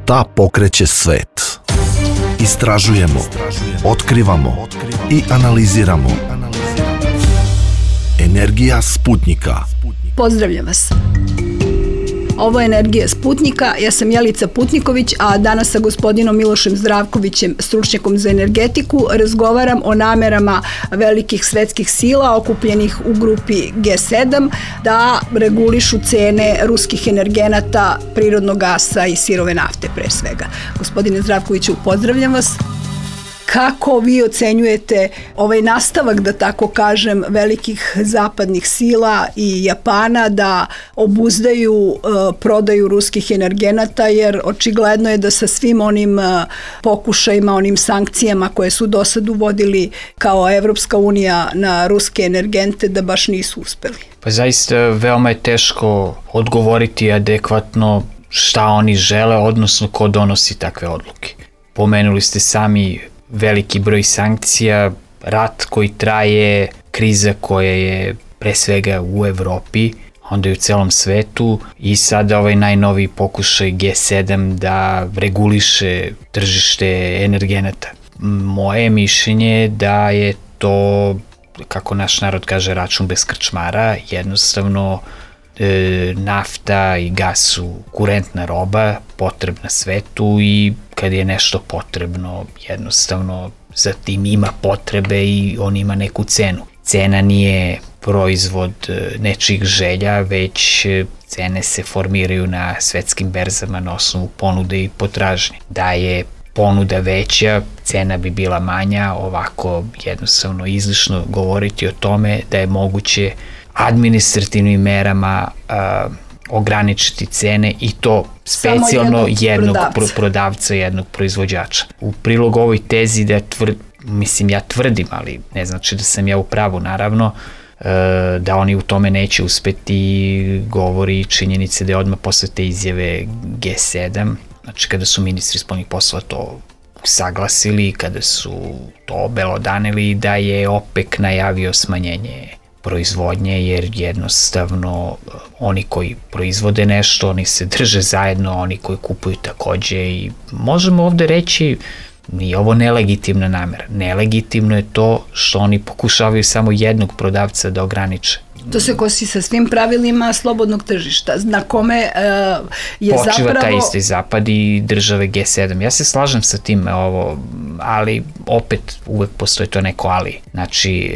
Šta pokreće svet? Istražujemo, otkrivamo i analiziramo. Energija Sputnjika. Pozdravljam vas. Ovo je Energija Sputnjika, ja sam Jelica Putniković, a danas sa gospodinom Milošem Zdravkovićem, stručnjakom za energetiku, razgovaram o namerama velikih svetskih sila okupljenih u grupi G7 da regulišu cene ruskih energenata, prirodnog gasa i sirove nafte pre svega. Gospodine Zdravkoviću, pozdravljam vas. Kako vi ocenjujete ovaj nastavak, da tako kažem, velikih zapadnih sila i Japana da obuzdaju prodaju ruskih energenata, jer očigledno je da sa svim onim pokušajima, onim sankcijama koje su do sad uvodili kao Evropska unija na ruske energente, da baš nisu uspeli? Pa zaista veoma je teško odgovoriti adekvatno šta oni žele, odnosno ko donosi takve odluke. Pomenuli ste sami veliki broj sankcija, rat koji traje, kriza koja je pre svega u Evropi, onda i u celom svetu i sada ovaj najnoviji pokušaj G7 da reguliše tržište energenata. Moje mišljenje je da je to, kako naš narod kaže, račun bez krčmara, jednostavno nafta i gas su kurentna roba, potrebna svetu i kad je nešto potrebno, jednostavno za tim ima potrebe i on ima neku cenu. Cena nije proizvod nečijih želja, već cene se formiraju na svetskim berzama na osnovu ponude i potražnje. Da je ponuda veća, cena bi bila manja, ovako jednostavno izlišno govoriti o tome da je moguće administrativnim merama ograničiti cene i to specijalno jednog prodavca, jednog proizvođača. U prilog ovoj tezi da ja tvrdim, ali ne znači da sam ja u pravu, naravno, da oni u tome neće uspeti, govori činjenice da je odmah posle te izjave G7, znači kada su ministri spoljnih poslova to saglasili, kada su to obelodanili, da je OPEC najavio smanjenje proizvodnje, jer jednostavno oni koji proizvode nešto, oni se drže zajedno, oni koji kupuju takođe i možemo ovde reći nije ovo nelegitimna namera. Nelegitimno je to što oni pokušavaju samo jednog prodavca da ograniče. To se kosi sa svim pravilima slobodnog tržišta, na kome je počiva taj isti zapad i države G7. Ja se slažem sa tim, ali opet uvek postoji to neko ali. Znači,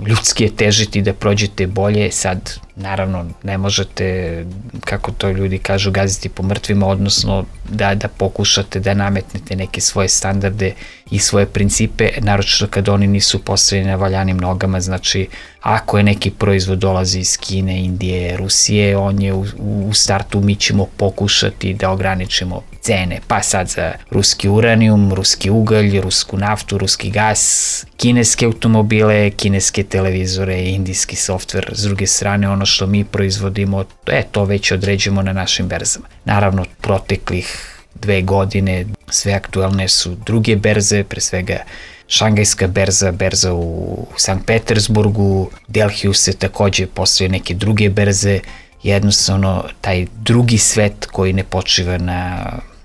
ljudski je težiti da prođete bolje, sad naravno ne možete, kako to ljudi kažu, gaziti po mrtvima, odnosno da pokušate da nametnete neke svoje standarde i svoje principe, naročito kad oni nisu postavljeni na valjanim nogama. Znači, ako je neki proizvod dolazi iz Kine, Indije, Rusije, on je u startu, mi ćemo pokušati da ograničimo cene, pa sad za ruski uranijum, ruski ugalj, rusku naftu, ruski gas, kineske automobile, kineske televizore, indijski softver. S druge strane, ono što mi proizvodimo, to već određujemo na našim berzama. Naravno, proteklih 2 godine sve aktuelne su druge berze, pre svega Šangajska berza u Sankt Petersburgu, Delhiju se takođe postoje neke druge berze, jednostavno taj drugi svet koji ne počiva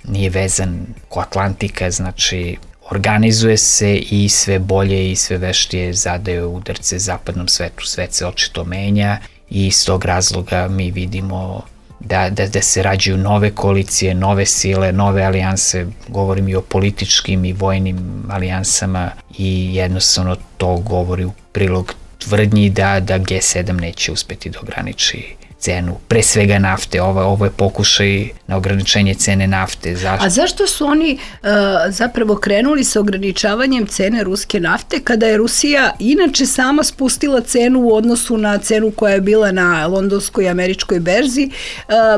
nije vezan ko Atlantika, znači organizuje se i sve bolje i sve veštije zadaje udarce zapadnom svetu. Svet se očito menja i iz tog razloga mi vidimo da se rađaju nove koalicije, nove sile, nove alijanse, govorim i o političkim i vojnim alijansama i jednostavno to govori u prilog tvrdnji da G7 neće uspeti da ograniči cenu, pre svega nafte. Ovo je pokušaj na ograničenje cene nafte. Zašto? A zašto su oni zapravo krenuli sa ograničavanjem cene ruske nafte kada je Rusija inače sama spustila cenu u odnosu na cenu koja je bila na londonskoj i američkoj berzi,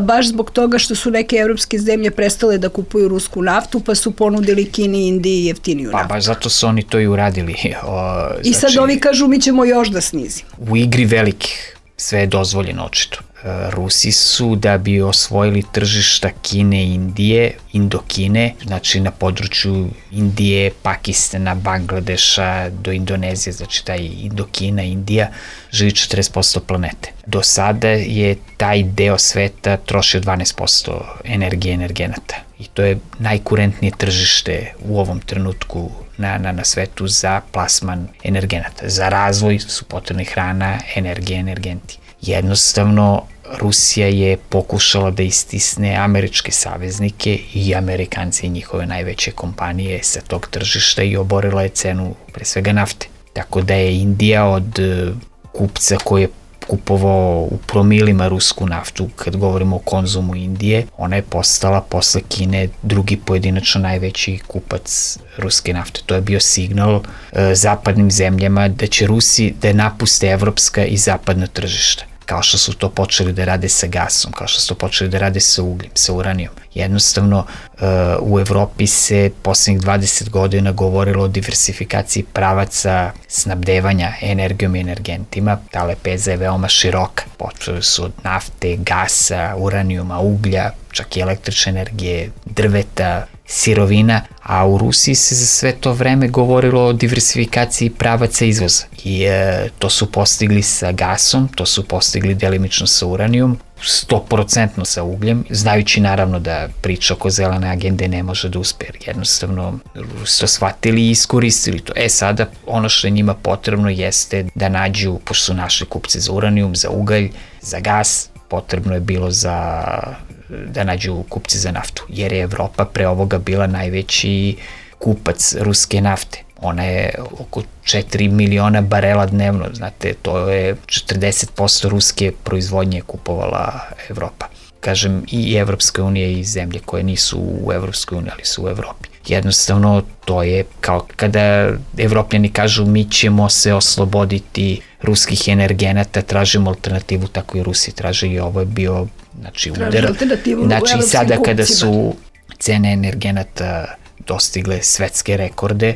baš zbog toga što su neke evropske zemlje prestale da kupuju rusku naftu, pa su ponudili Kini i Indiji jeftiniju naftu. Pa baš zato su oni to i uradili. I sad ovi kažu mi ćemo još da snizimo. U igri velikih sve je dozvoljeno očito. Rusi su, da bi osvojili tržišta Kine i Indije, Indokine, znači na području Indije, Pakistana, Bangladeša do Indonezije, znači taj Indokina, Indija, živi 40% planete. Do sada je taj deo sveta trošio 12% energije energenata. i to je najkurentnije tržište u ovom trenutku na svetu za plasman energenata. Za razvoj su potrebni hrana, energija, energenti. Jednostavno, Rusija je pokušala da istisne američke saveznike i Amerikanci i njihove najveće kompanije sa tog tržišta i oborila je cenu pre svega nafte. Tako da je Indija od kupca koji je kupovao u promilima rusku naftu, kad govorimo o konzumu Indije, ona je postala posle Kine drugi pojedinačno najveći kupac ruske nafte. To je bio signal zapadnim zemljama da će Rusi da napuste evropska i zapadna tržišta, kao što su to počeli da rade sa gasom, kao što su to počeli da rade sa ugljem, sa uranijom. Jednostavno, u Evropi se poslednjih 20 godina govorilo o diversifikaciji pravaca snabdevanja energijom i energentima. Ta lepeza je veoma široka. Počeli su od nafte, gasa, uranijuma, uglja, čak i električne energije, drveta, sirovina, a u Rusiji se za sve to vreme govorilo o diversifikaciji pravaca izvoza. I to su postigli sa gasom, to su postigli delimično sa uranijom, 100% sa ugljem, znajući naravno da priča oko zelene agende ne može da uspe, jer jednostavno Rusi to shvatili i iskoristili to. Sada ono što je njima potrebno jeste da nađu, pošto su našli kupce za uranijum, za ugalj, za gas, potrebno je bilo da nađu kupce za naftu, jer je Evropa pre ovoga bila najveći kupac ruske nafte. Ona je oko 4 miliona barela dnevno, znate, to je 40% ruske proizvodnje kupovala Evropa. Kažem, i Evropska unija i zemlje koje nisu u Evropskoj uniji, ali su u Evropi. Jednostavno, to je kao kada Evropljani kažu mi ćemo se osloboditi ruskih energenata, tražimo alternativu, tako i Rusi traže, i ovo je bio udar. Znači, sada kada su cene energenata dostigle svetske rekorde,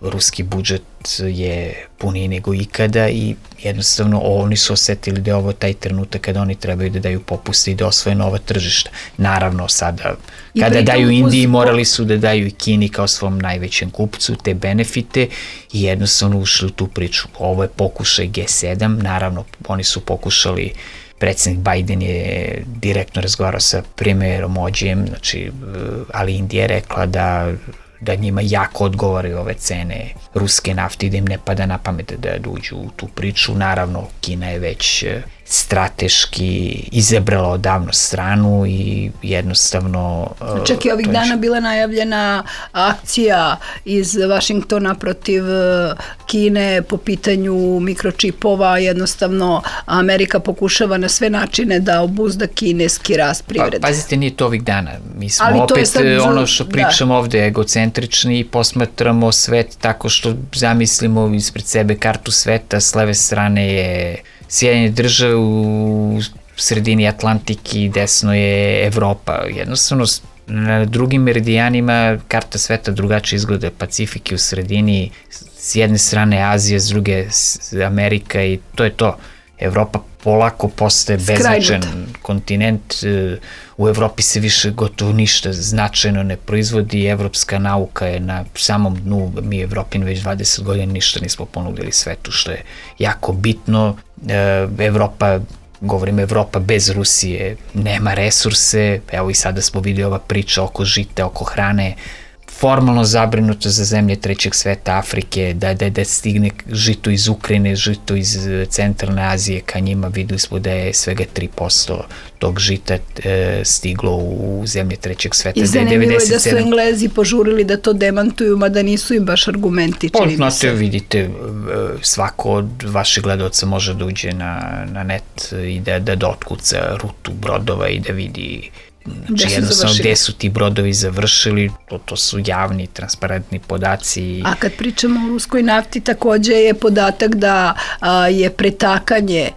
ruski budžet je puniji nego ikada i jednostavno oni su osetili da je ovo taj trenutak kada oni trebaju da daju popuste i da osvoje nova tržišta. Naravno, sada, kada daju Indiji, morali su da daju i Kini kao svom najvećem kupcu te benefite i jednostavno ušli u tu priču. Ovo je pokušaj G7, naravno, oni su pokušali, predsednik Biden je direktno razgovarao sa premijerom Modijem, znači, ali Indija je rekla da njima jako odgovaraju ove cene ruske nafte i da im ne pada na pamet da uđu u tu priču. Naravno, Kina je već strateški izabrala odavno stranu i jednostavno... Čak i ovih dana bila najavljena akcija iz Vašingtona protiv Kine po pitanju mikročipova. Jednostavno, Amerika pokušava na sve načine da obuzda kineski rast privrede. Pazite, nije to ovih dana. Mi smo opet ono što pričamo ovde egocentrični i posmatramo svet tako što zamislimo ispred sebe kartu sveta, s leve strane je Sjedinjene države, u sredini Atlantik i desno je Evropa. Jednostavno, na drugim meridijanima karta sveta drugačije izgleda. Pacifik je u sredini, s jedne strane Azija, s druge Amerika i to je to. Evropa polako postaje beznačajan kontinent. U Evropi se više gotovo ništa značajno ne proizvodi. Evropska nauka je na samom dnu. Mi Evropin već 20 godina ništa nismo ponudili svetu, što je jako bitno. Evropa bez Rusije nema resurse. Evo i sada smo videli ova priča oko žita, oko hrane. Formalno zabrinuto za zemlje trećeg sveta, Afrike, da stigne žito iz Ukrajine, žito iz centralne Azije ka njima. Videli smo da je svega 3% tog žita stiglo u zemlje trećeg sveta. I zanimljivo je da su Englezi požurili da to demantuju, mada nisu im baš argumenti, čini mi se. Vidite, svako od vaših gledalca može da uđe na net i da otkuca rutu brodova i da vidi jednostavno gde su ti brodovi završili, to su javni, transparentni podaci. A kad pričamo o ruskoj nafti, takođe je podatak da je pretakanje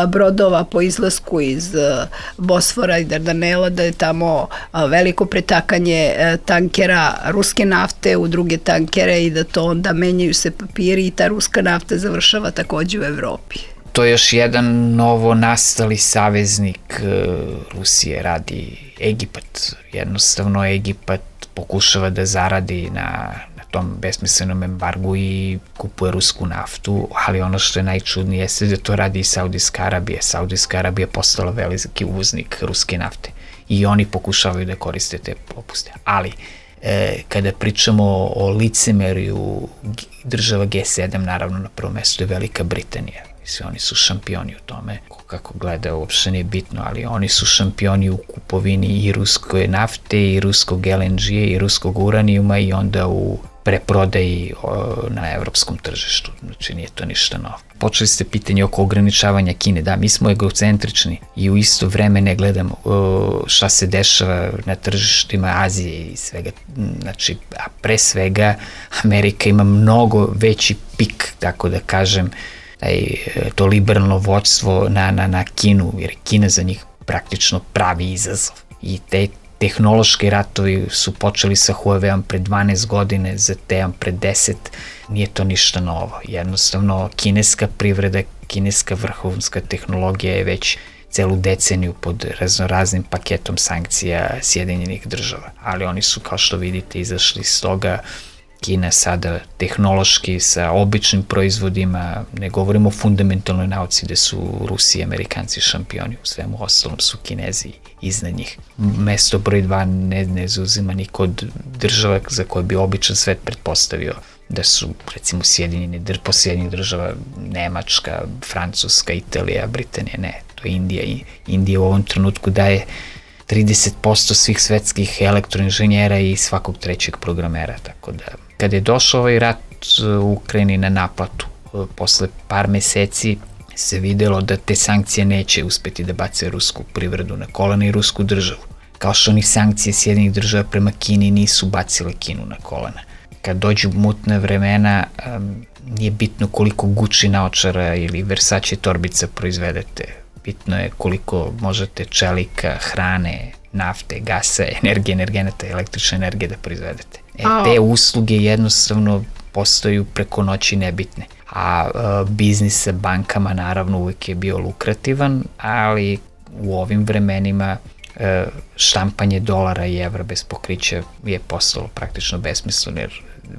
brodova po izlasku iz Bosfora i Dardanela, da je tamo veliko pretakanje tankera ruske nafte u druge tankere i da to onda menjaju se papiri i ta ruska nafta završava takođe u Evropi. To je još jedan novo nastali saveznik Rusije, radi Egipat. Jednostavno Egipat pokušava da zaradi na tom besmislenom embargu i kupuje rusku naftu, ali ono što je najčudnije jeste da to radi i Saudijska Arabija. Saudijska Arabija je postala veliki uvoznik ruske nafte. i oni pokušavaju da koriste te popuste. Ali, kada pričamo o licemeriju država G7, naravno na prvom mestu je Velika Britanija. Mislim, oni su šampioni u tome. Kako gleda, uopšte nije bitno, ali oni su šampioni u kupovini i ruske nafte, i ruskog LNG, i ruskog uranijuma i onda u preprodaji na evropskom tržištu. Znači, nije to ništa novo. Počeli ste pitanje oko ograničavanja Kine. Da, mi smo egocentrični i u isto vreme ne gledamo šta se dešava na tržištima Azije i svega. Znači, a pre svega Amerika ima mnogo veći pik, tako da kažem, to liberalno vođstvo na Kinu, jer Kina za njih praktično pravi izazov. I te tehnološki ratovi su počeli sa Huawei-om pre 12 godine, ZTE-om pre 10, nije to ništa novo. Jednostavno, kineska privreda, kineska vrhunska tehnologija je već celu deceniju pod raznoraznim paketom sankcija Sjedinjenih država. Ali oni su, kao što vidite, izašli iz toga. Kina sada tehnološki sa običnim proizvodima, ne govorimo o fundamentalnoj nauci gde su Rusi i Amerikanci šampioni, u svemu ostalom su Kinezi iznad njih. Mesto broj 2 ne zauzima niko od država za koje bi običan svet pretpostavio da su, recimo, Sjedinjenih država, Nemačka, Francuska, Italija, Britanija, ne, to je Indija. I Indija u ovom trenutku daje 30% svih svetskih elektroinženjera i svakog trećeg programera, tako da kada je došao ovaj rat u Ukrajini na naplatu, posle par meseci se videlo da te sankcije neće uspeti da bace rusku privredu na kolena i rusku državu. Kao što ni sankcije Sjedinjenih država prema Kini nisu bacile Kinu na kolena. Kad dođu mutne vremena, nije bitno koliko Gucci naočara ili Versace torbica proizvedete. Bitno je koliko možete čelika, hrane, nafte, gasa, energije, energenata, električne energije da proizvedete. Te usluge jednostavno postaju preko noći nebitne. A biznis sa bankama naravno uvijek je bio lukrativan, ali u ovim vremenima štampanje dolara i evra bez pokrića je postalo praktično besmisleno, jer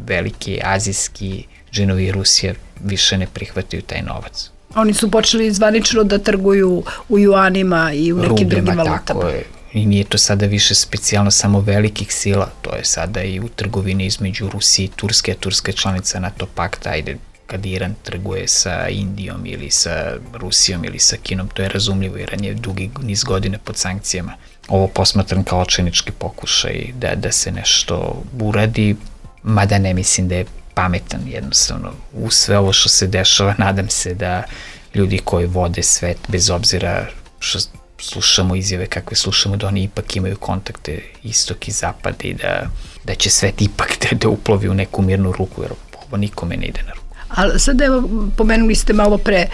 veliki azijski džinovi i Rusija više ne prihvataju taj novac. Oni su počeli zvanično da trguju u juanima i u nekim drugim valutama. Tako je. I nije to sada više specijalno samo velikih sila, to je sada i u trgovini između Rusije i Turske, a Turska je članica NATO pakta, ajde, kad Iran trguje sa Indijom ili sa Rusijom ili sa Kinom, to je razumljivo, Iran je dugi niz godine pod sankcijama. Ovo posmatram kao očajnički pokušaj da se nešto uradi, mada ne mislim da je pametan, jednostavno. U sve ovo što se dešava, nadam se da ljudi koji vode svet, bez obzira što slušamo izjave kakve slušamo, da oni ipak imaju kontakte istok i zapad i da će svet ipak da uplovi u neku mirnu ruku, jer ovo nikome ne ide na ruku. Ali sad evo, pomenuli ste malo pre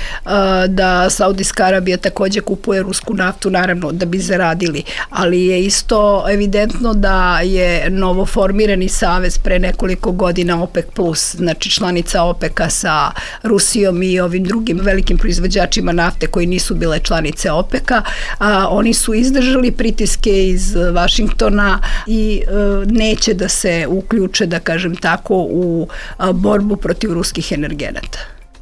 da Saudijska Arabija takođe kupuje rusku naftu, naravno da bi zaradili, ali je isto evidentno da je novoformirani savez pre nekoliko godina OPEC+, znači članica OPEC-a sa Rusijom i ovim drugim velikim proizvođačima nafte koji nisu bile članice OPEC-a, oni su izdržali pritiske iz Vašingtona i neće da se uključe, da kažem tako, u borbu protiv ruskih energenata.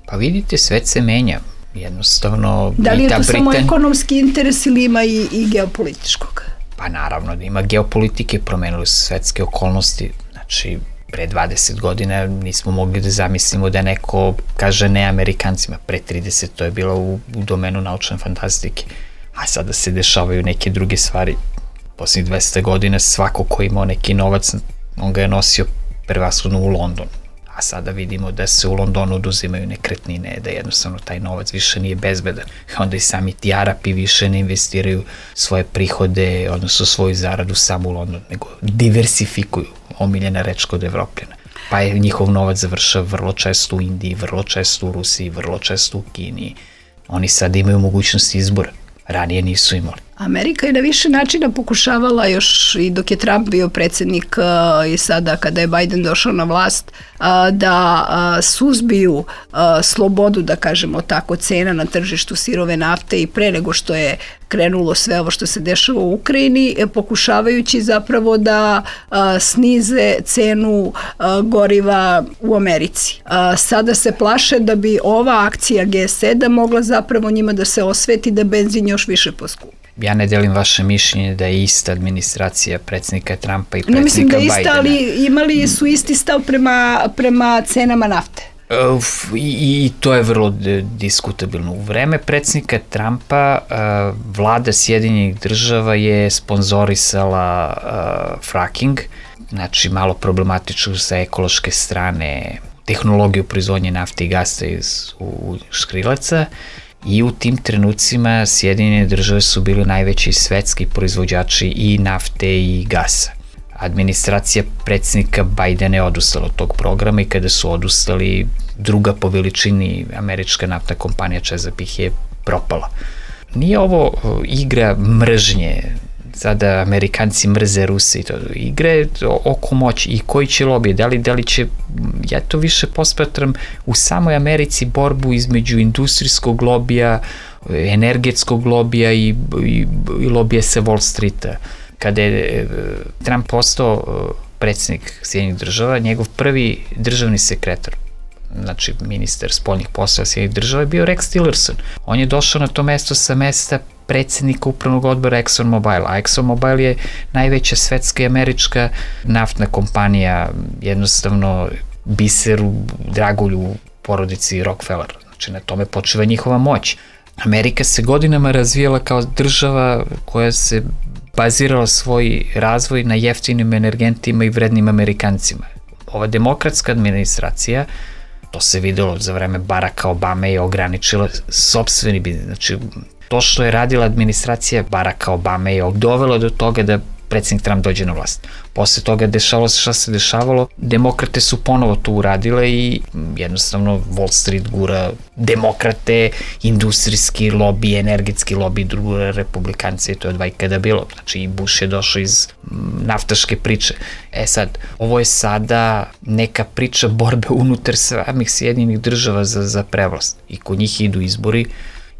Pa vidite, svet se menja. Jednostavno... Da li je to samo ekonomski interes ili ima i geopolitičkog? Pa naravno da ima geopolitike, promenili su svetske okolnosti. Znači, pre 20 godina nismo mogli da zamislimo da neko kaže ne Amerikancima. Pre 30 to je bilo u domenu naučne fantastike. A sada se dešavaju neke druge stvari. Poslednjih 200 godina svako ko imao neki novac, on ga je nosio prevashodno u London. A sada vidimo da se u Londonu oduzimaju nekretnine, da jednostavno taj novac više nije bezbedan. Onda i sami ti Arapi više ne investiraju svoje prihode, odnosno svoju zaradu samo u Londonu, nego diversifikuju, omiljena reč kod Evropljana. Pa je njihov novac završao vrlo često u Indiji, vrlo često u Rusiji, vrlo često u Kini. Oni sada imaju mogućnost izbora, ranije nisu imali. Amerika je na više načina pokušavala još i dok je Trump bio predsjednik i sada kada je Biden došao na vlast da suzbiju slobodu, da kažemo tako, cena na tržištu sirove nafte i pre nego što je krenulo sve ovo što se dešava u Ukrajini, pokušavajući zapravo da snize cenu goriva u Americi. Sada se plaše da bi ova akcija G7 mogla zapravo njima da se osveti da benzin još više poskupi. Ja ne delim vaše mišljenje da je ista administracija predsjednika Trumpa i Ne mislim predsjednika da je ista, Bidena. ali imali su isti stav prema cenama nafte. I to je vrlo diskutabilno. U vreme predsjednika Trumpa vlada Sjedinjenih država je sponzorisala fracking, znači malo problematično sa ekološke strane tehnologiju proizvodnje nafte i gasa iz škrilaca, i u tim trenucima Sjedinjene države su bili najveći svetski proizvođači i nafte i gasa. Administracija predsjednika Bidena je odustala od tog programa i kada su odustali, druga po veličini američka naftna kompanija Chesapeake je propala. Nije ovo igra mržnje, sada Amerikanci mrze Ruse i to, igre oko moći i koji će lobije, da li će, ja to više posmatram u samoj Americi borbu između industrijskog lobija, energetskog lobija i lobija sa Wall Streeta. Kada je Trump postao predsjednik Sjedinjenih država, njegov prvi državni sekretar, znači ministar spoljnih poslova Sjedinjenih država, je bio Rex Tillerson. On je došao na to mesto sa mesta predsjednika upravnog odbora ExxonMobil, a ExxonMobil je najveća svetska i američka naftna kompanija, jednostavno biser u dragulju porodici Rockefeller. Znači na tome počiva njihova moć. Amerika se godinama razvijala kao država koja se bazirala svoj razvoj na jeftinim energentima i vrednim Amerikancima. Ova demokratska administracija, to se videlo za vreme Baracka Obame, je ograničila sopstveni biznis. Znači, to što je radila administracija Baracka Obame je dovelo do toga da predsjednik Trump dođe na vlast. Posle toga dešavalo se šta se dešavalo, demokrate su ponovo to uradile i jednostavno Wall Street gura demokrate, industrijski lobby, energetski lobby, druga republikanci, to je od vajkada bilo. Znači i Bush je došao iz naftaške priče. Sad, ovo je sada neka priča borbe unutar samih Sjedinjenih država za prevlast. I kod njih idu izbori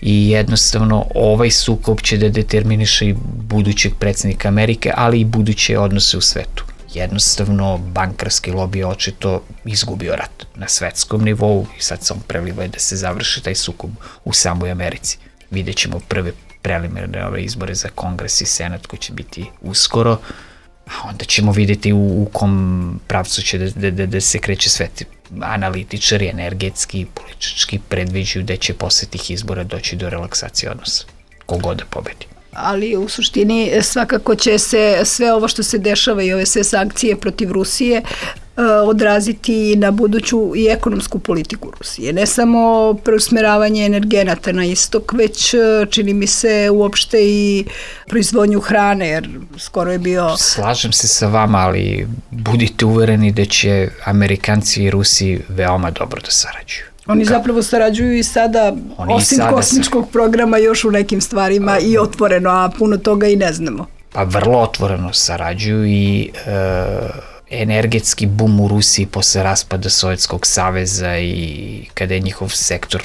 i jednostavno ovaj sukob će da determiniše i budućeg predsjednika Amerike, ali i buduće odnose u svetu. Jednostavno, bankarski lobby je očito izgubio rat na svetskom nivou i sad se on preliva da se završi taj sukob u samoj Americi. Vidjet ćemo prve preliminarne izbore za Kongres i Senat koji će biti uskoro, a onda ćemo vidjeti u kom pravcu će da se kreće svet. Analitičari, energetski, politički predviđuju da će posle tih izbora doći do relaksacije odnosa, kogod da pobedi. Ali u suštini svakako će se sve ovo što se dešava i ove sve sankcije protiv Rusije odraziti na buduću i ekonomsku politiku Rusije. Ne samo preusmeravanje energenata na istok, već čini mi se uopšte i proizvodnju hrane, jer skoro je bio... Slažem se sa vama, ali budite uvereni da će Amerikanci i Rusi veoma dobro da sarađuju. Oni zapravo sarađuju i sada, osim kosmičkog programa, još u nekim stvarima i otvoreno, a puno toga i ne znamo. Pa vrlo otvoreno sarađuju i energetski bum u Rusiji posle raspada Sovjetskog saveza i kada je njihov sektor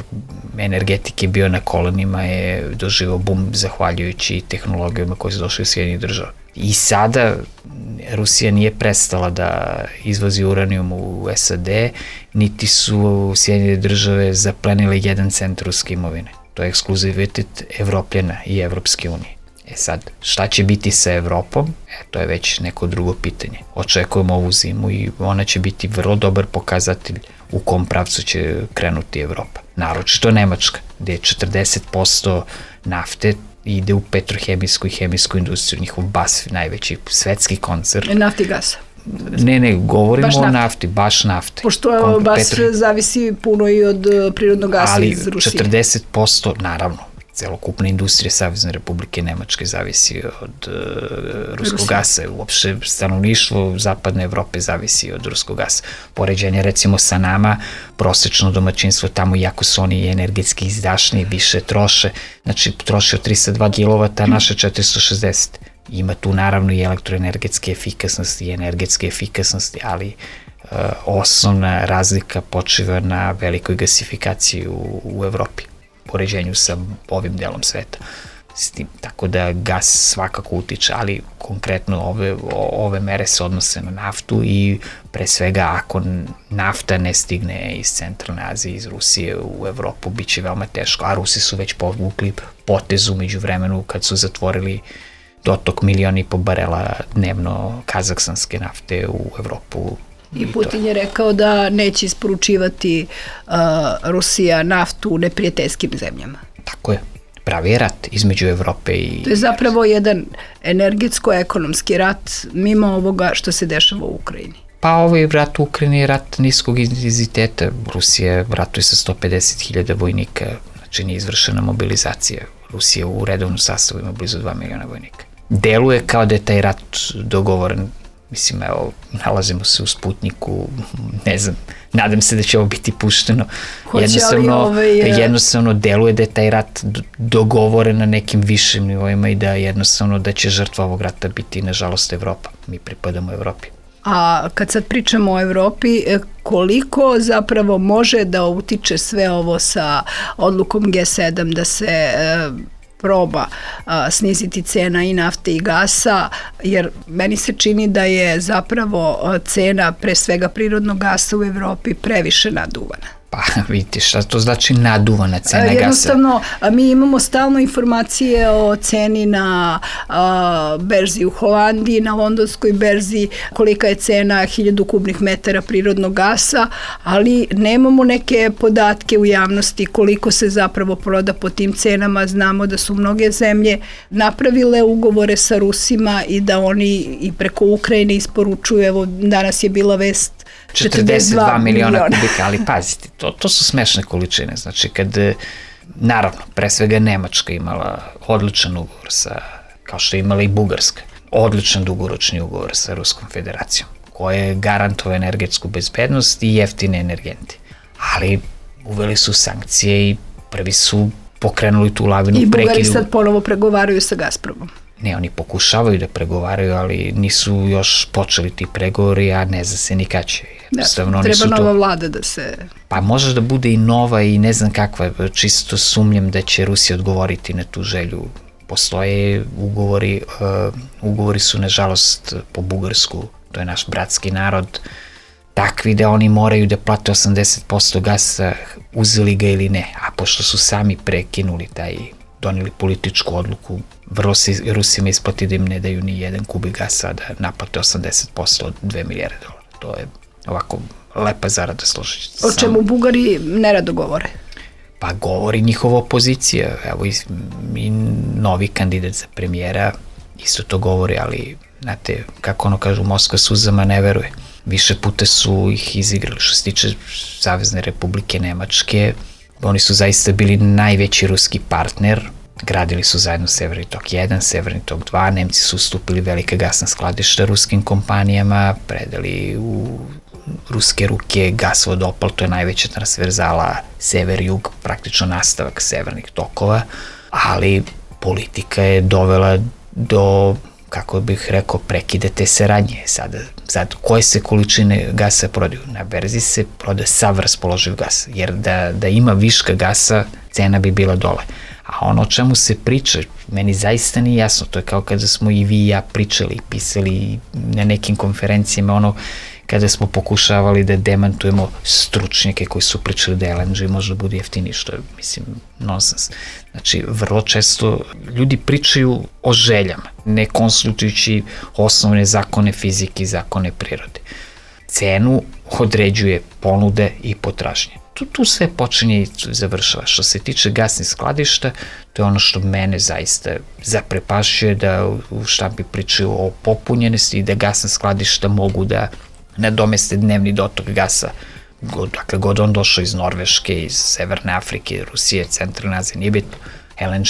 energetike bio na kolenima je doživao bum zahvaljujući tehnologijama koje su došle u Sjedinjenih država. I sada Rusija nije prestala da izvozi uranijum u SAD, niti su Sjedinjene države zaplenile 1 cent ruske imovine. To je ekskluzivitet Evropljana i Evropske unije. Sad, šta će biti sa Evropom? To je već neko drugo pitanje. Očekujemo ovu zimu i ona će biti vrlo dobar pokazatelj u kom pravcu će krenuti Evropa. Naročito Nemačka, gde je 40% nafte ide u petrohemijsku i hemijsku industriju, njihov BASF, najveći svetski koncern. Nafti i gasa. Ne, govorimo o nafti, baš nafte. Pošto BASF zavisi puno i od prirodnog gasa iz Rusije. Ali 40%, naravno, celokupna industrija Savezne Republike Nemačke zavisi od ruskog gasa. Uopšte stanovništvo zapadne Evrope zavisi od ruskog gasa. Poređenje recimo sa nama, prosečno domaćinstvo tamo, iako su oni energetski izdašniji, više troše, znači troše od 302 kW, a naše 460. Ima tu naravno i elektroenergetske efikasnosti i energetske efikasnosti, ali osnovna razlika počiva na velikoj gasifikaciji u Evropi, poređenju sa ovim delom sveta. s tim, tako da gas svakako utiče, ali konkretno ove mere se odnose na naftu i pre svega ako nafta ne stigne iz Centralne Azije, iz Rusije u Evropu, bit će veoma teško, a Rusi su već povukli potezu među vremenu kad su zatvorili dotok 1,5 miliona barela dnevno kazahstanske nafte u Evropu. I Putin je rekao da neće isporučivati Rusija naftu u neprijateljskim zemljama. Tako je. Pravi je rat između Evrope i... To je zapravo jedan energetsko-ekonomski rat mimo ovoga što se dešava u Ukrajini. Pa ovaj rat u Ukrajini je rat niskog intenziteta. Rusija ratuje sa 150.000 vojnika, znači nije izvršena mobilizacija. Rusija u redovnom sastavu ima blizu 2 miliona vojnika. Deluje kao da je taj rat dogovoren. Mislim, evo, nalazimo se u Sputniku, ne znam, nadam se da će ovo biti pušteno. Jednostavno deluje da je taj rat dogovoren na nekim višim nivoima i da jednostavno da će žrtva ovog rata biti, nažalost, Evropa. Mi pripadamo Evropi. A kad sad pričamo o Evropi, koliko zapravo može da utiče sve ovo sa odlukom G7 da se proba sniziti cena i nafte i gasa, jer meni se čini da je zapravo cena pre svega prirodnog gasa u Evropi previše naduvana. Pa vidite šta to znači naduvana cena gasa. Jednostavno, mi imamo stalno informacije o ceni na berzi u Holandiji, na londonskoj berzi, kolika je cena 1000 kubnih metara prirodnog gasa, ali nemamo neke podatke u javnosti koliko se zapravo proda po tim cenama. Znamo da su mnoge zemlje napravile ugovore sa Rusima i da oni i preko Ukrajine isporučuju, evo danas je bila vest 42 miliona kubika, ali pazite, to su smešne količine, znači kad, naravno, pre svega Nemačka imala odličan ugovor sa, kao što je imala i Bugarska, odličan dugoročni ugovor sa Ruskom federacijom, koja je garantovao energetsku bezbednost i jeftine energente, ali uveli su sankcije i prvi su pokrenuli tu lavinu. I Bugari sad ponovo pregovaraju sa Gazpromom. Ne, oni pokušavaju da pregovaraju, ali nisu još počeli ti pregovori, a ne zna se ni kad će. Treba nova vlada da se... Pa može da bude i nova i ne znam kakva, čisto sumnjam da će Rusija odgovoriti na tu želju. Postoje ugovori su nažalost po Bugarsku, to je naš bratski narod, takvi da oni moraju da plate 80% gasa, uzeli ga ili ne, a pošto su sami prekinuli doneli političku odluku, vrlo se Rusima isplati da im ne daju ni jedan kubik gasa, da naplate 80% od 2 milijarde dolara. To je ovako lepa zarada, složit. O čemu Bugari nerado govore? Pa govori njihova opozicija. Evo i novi kandidat za premijera isto to govori, ali znate, kako ono kažu, Moskva suzama ne veruje. Više puta su ih izigrali. Što se tiče Savezne Republike Nemačke, oni su zaista bili najveći ruski partner, gradili su zajedno Severni tok 1, Severni tok 2, Nemci su ustupili velika gasna skladišta ruskim kompanijama, predali u ruske ruke gasovod Opal, to je najveća transverzala sever-jug, praktično nastavak severnih tokova, ali politika je dovela do, kako bih rekao, prekide te saradnje. Sad koje se količine gasa prodaju? Na berzi se proda sav raspoloživ gas, jer da ima viška gasa, cena bi bila dole. A ono o čemu se priča, meni zaista nije jasno, to je kao kada smo i vi i ja pričali, pisali na nekim konferencijama, kada smo pokušavali da demantujemo stručnjake koji su pričali da LNG možda bude jeftiniji, što je, mislim, nonsens. Znači, vrlo često ljudi pričaju o željama, ne konsultujući osnovne zakone fizike i zakone prirode. Cenu određuje ponude i potražnje. Tu sve počinje i završava. Što se tiče gasnih skladišta, to je ono što mene zaista zaprepašuje, da u štampi pričaju o popunjenosti i da gasna skladišta mogu da nadomeste dnevni dotok gasa, dakle god on došao iz Norveške, iz Severne Afrike, Rusije, Centralne Azije, nije bitno, LNG.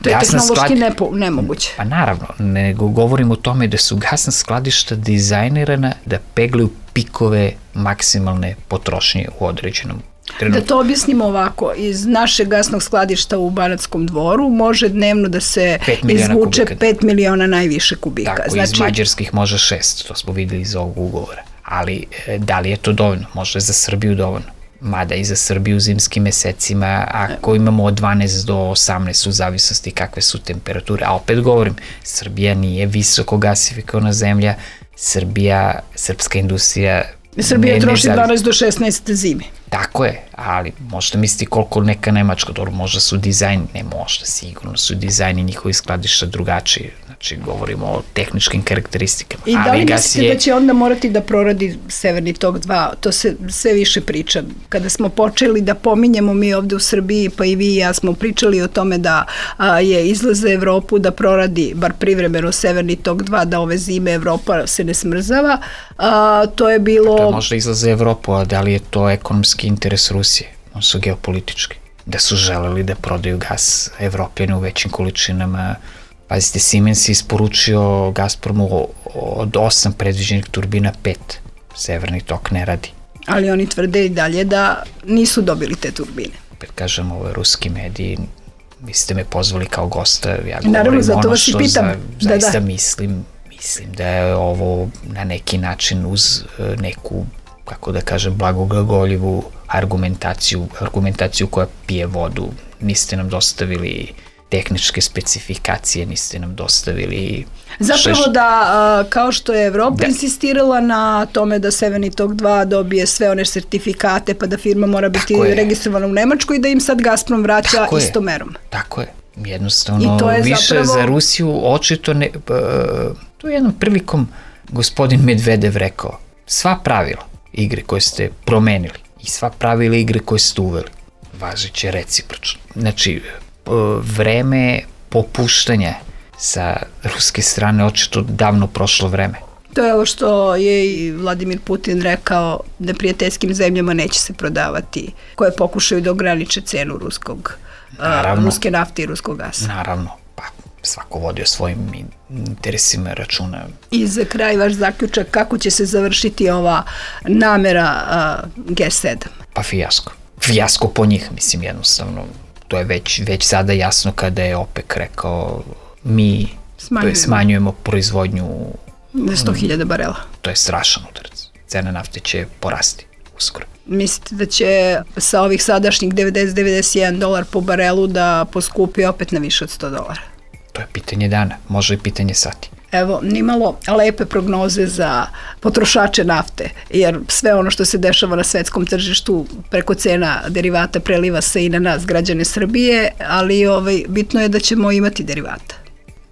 To je tehnološki nemoguće. Pa naravno, nego govorim o tome da su gasna skladišta dizajnirana da peglaju pikove maksimalne potrošnje u određenom trenutku. Da to objasnimo ovako, iz našeg gasnog skladišta u Banatskom Dvoru može dnevno da se izvuče 5 miliona najviše kubika. Tako, iz mađarskih može 6, to smo videli iz ovog ugovora. Ali da li je to dovoljno? Možda je za Srbiju dovoljno. mada i za Srbiju u zimskim mesecima, ako imamo od 12 do 18 u zavisnosti kakve su temperature, a opet govorim, Srbija nije visoko gasifikovana zemlja, srpska industrija Srbija troši 12 do 16 zime. Tako je, ali možda misliti koliko neka Nemačka, dobro, možda su dizajn, ne možda, sigurno su dizajni njihovi skladišta drugačiji, znači govorimo o tehničkim karakteristikama. I da li mislite da će onda morati da proradi Severni tok 2? To se sve više priča. Kada smo počeli da pominjemo mi ovde u Srbiji, pa i vi i ja smo pričali o tome da je izlaz za Evropu da proradi, bar privremeno, Severni tok 2, da ove zime Evropa se ne smrzava, to je bilo... To je možda izlaz za Evropu, a da li je to ekonomski interes Rusije? On su geopolitički. Da su želeli da prodaju gas Evropljane u većim količinama. Pazite, Siemens je isporučio Gazpromu od 8 predviđenih turbina 5. Severni tok ne radi. Ali oni tvrde i dalje da nisu dobili te turbine. Opet kažem, ove ruski mediji, vi ste me pozvali kao gosta, ja naravno, govorim ono što zaista mislim da je ovo na neki način uz neku, kako da kažem, blagoglagoljivu argumentaciju koja pije vodu. Niste nam dostavili tehničke specifikacije, niste nam dostavili... Zapravo da, kao što je Evropa insistirala na tome da Severni tok 2 dobije sve one sertifikate, pa da firma mora biti registrovana u Nemačkoj i da im sad Gazprom vraća istom merom. Tako je. Jednostavno, više za Rusiju očito ne... To je jednom prilikom gospodin Medvedev rekao, sva pravila igre koje ste promenili i sva pravila igre koje ste uveli, važeće recipročno. Znači, vreme popuštanja sa ruske strane očito davno prošlo vreme. To je ovo što je i Vladimir Putin rekao, neprijateljskim zemljama neće se prodavati, koje pokušaju da ograniče cenu ruske nafte i ruskog gasa. Naravno, pa svako vodi o svojim interesima računa. I za kraj vaš zaključak, kako će se završiti ova namera G7? Pa fijasko. Fijasko po njih, mislim, jednostavno. To je već sada jasno kada je OPEC rekao mi smanjujemo proizvodnju na 100.000 barela. To je strašan udarac. Cena nafte će porasti uskoro. Mislite da će sa ovih sadašnjih 90-91 dolar po barelu da poskupi opet na više od $100? To je pitanje dana, može i pitanje sati. Evo, nimalo lepe prognoze za potrošače nafte, jer sve ono što se dešava na svetskom tržištu preko cena derivata preliva se i na nas, građane Srbije, ali bitno je da ćemo imati derivata.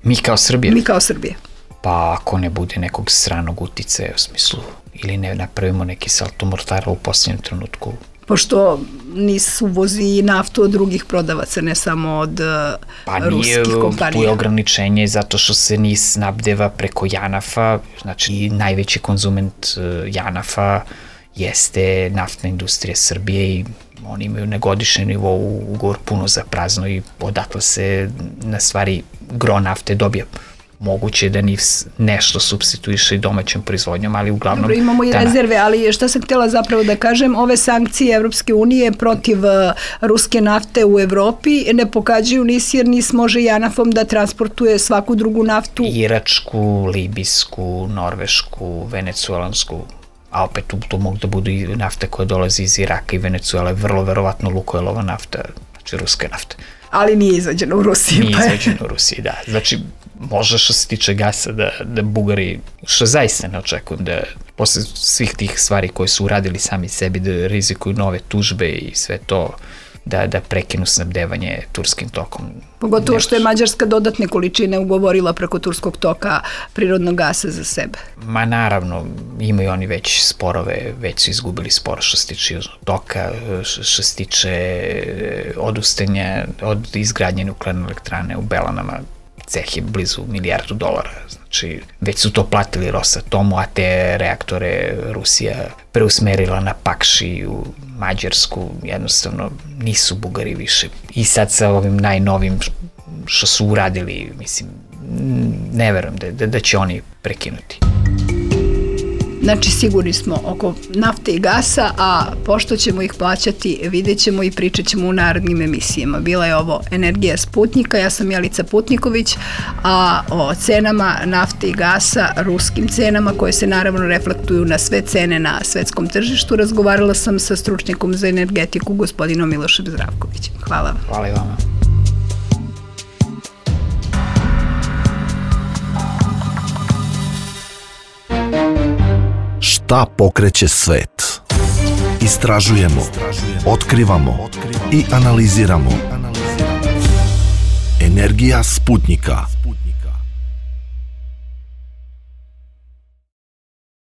Mi kao Srbije? Mi kao Srbije. Pa ako ne bude nekog stranog uticaja u smislu, ili ne napravimo neki salto mortara u posljednjem trenutku. Pošto NIS uvozi naftu od drugih prodavaca, ne samo od ruskih kompanija. Pa nije, tu je ograničenje zato što se NIS snabdeva preko JANAF-a, znači najveći konzument JANAF-a jeste naftna industrija Srbije i oni imaju na godišnjem nivou ugovor puno za prazno i odatle se na stvari gro nafte dobija. Moguće je da NIS nešto supstituiše i domaćom proizvodnjom, ali uglavnom... Dobro, imamo i rezerve, ali šta sam htjela zapravo da kažem, ove sankcije Evropske unije protiv ruske nafte u Evropi ne pokađaju NIS, jer NIS može JANAF-om da transportuje svaku drugu naftu. Iračku, libijsku, norvešku, venecuelansku, a opet tu mogu da budu i nafte koje dolazi iz Iraka i Venecuele, vrlo verovatno Lukoilova nafta, znači ruska nafta. Ali nije izađeno u Rusiji. Nije izađeno u Rusiji, da. Znači, može što se tiče gasa da Bugari, što zaista ne očekujem, da posle svih tih stvari koje su uradili sami sebi, da rizikuju nove tužbe i sve to, da prekinu snabdevanje turskim tokom. Pogotovo što je Mađarska dodatne količine ugovorila preko turskog toka prirodnog gasa za sebe. Ma naravno, imaju oni već sporove, već su izgubili spor što se tiče južnog toka, što se tiče odustajanja od izgradnje nuklearne elektrane u Belanama, ceh je blizu $1 milijardu, znači već su to platili Rosatomu, a te reaktore Rusija preusmerila na Pakši u Mađarsku, jednostavno nisu Bugari više. I sad sa ovim najnovim što su uradili, mislim, ne verujem da će oni prekinuti. Znači sigurni smo oko nafte i gasa, a pošto ćemo ih plaćati, vidjet ćemo i pričat ćemo u narednim emisijama. Bila je ovo Energija Sputnika, ja sam Jelica Putniković, a o cenama nafte i gasa, ruskim cenama koje se naravno reflektuju na sve cene na svetskom tržištu, razgovarala sam sa stručnjakom za energetiku gospodinom Milošem Zdravkovićem. Hvala vam. Hvala i vama. Šta pokreće svet? Istražujemo, otkrivamo i analiziramo. Energija Sputnika.